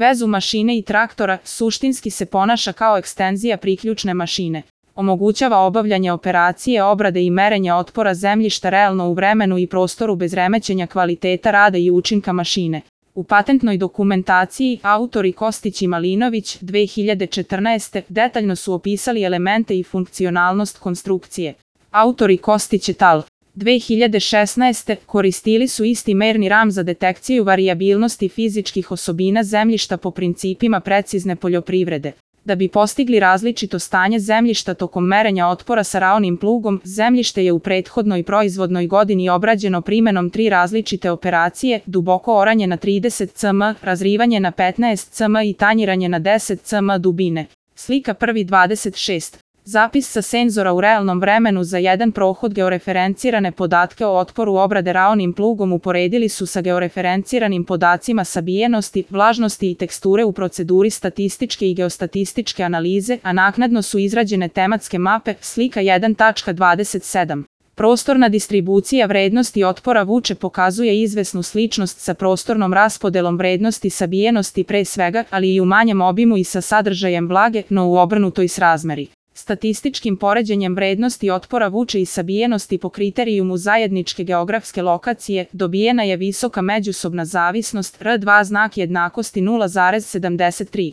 vezu mašine i traktora, suštinski se ponaša kao ekstenzija priključne mašine. Omogućava obavljanje operacije obrade i merenja otpora zemljišta realno u vremenu i prostoru bez remećenja kvaliteta rada i učinka mašine. U patentnoj dokumentaciji autori Kostić i Malinović 2014. detaljno su opisali elemente i funkcionalnost konstrukcije. Autori Kostić et al. 2016. koristili su isti merni ram za detekciju varijabilnosti fizičkih osobina zemljišta po principima precizne poljoprivrede. Da bi postigli različito stanje zemljišta tokom merenja otpora sa raonim plugom, zemljište je u prethodnoj proizvodnoj godini obrađeno primenom 3 različite operacije: duboko oranje na 30 cm, razrivanje na 15 cm i tanjiranje na 10 cm dubine. Slika 1.26. Zapis sa senzora u realnom vremenu za jedan prohod. Georeferencirane podatke o otporu obrade raonim plugom uporedili su sa georeferenciranim podacima sabijenosti, vlažnosti i teksture u proceduri statističke i geostatističke analize, a naknadno su izrađene tematske mape. Slika 1.27. Prostorna distribucija vrednosti otpora vuče pokazuje izvesnu sličnost sa prostornom raspodelom vrednosti sabijenosti pre svega, ali i u manjem obimu i sa sadržajem vlage, no u obrnutoj srazmeri. Statističkim poređenjem vrednosti otpora vuče i sabijenosti po kriterijumu zajedničke geografske lokacije dobijena je visoka međusobna zavisnost R2 znak jednakosti 0,73.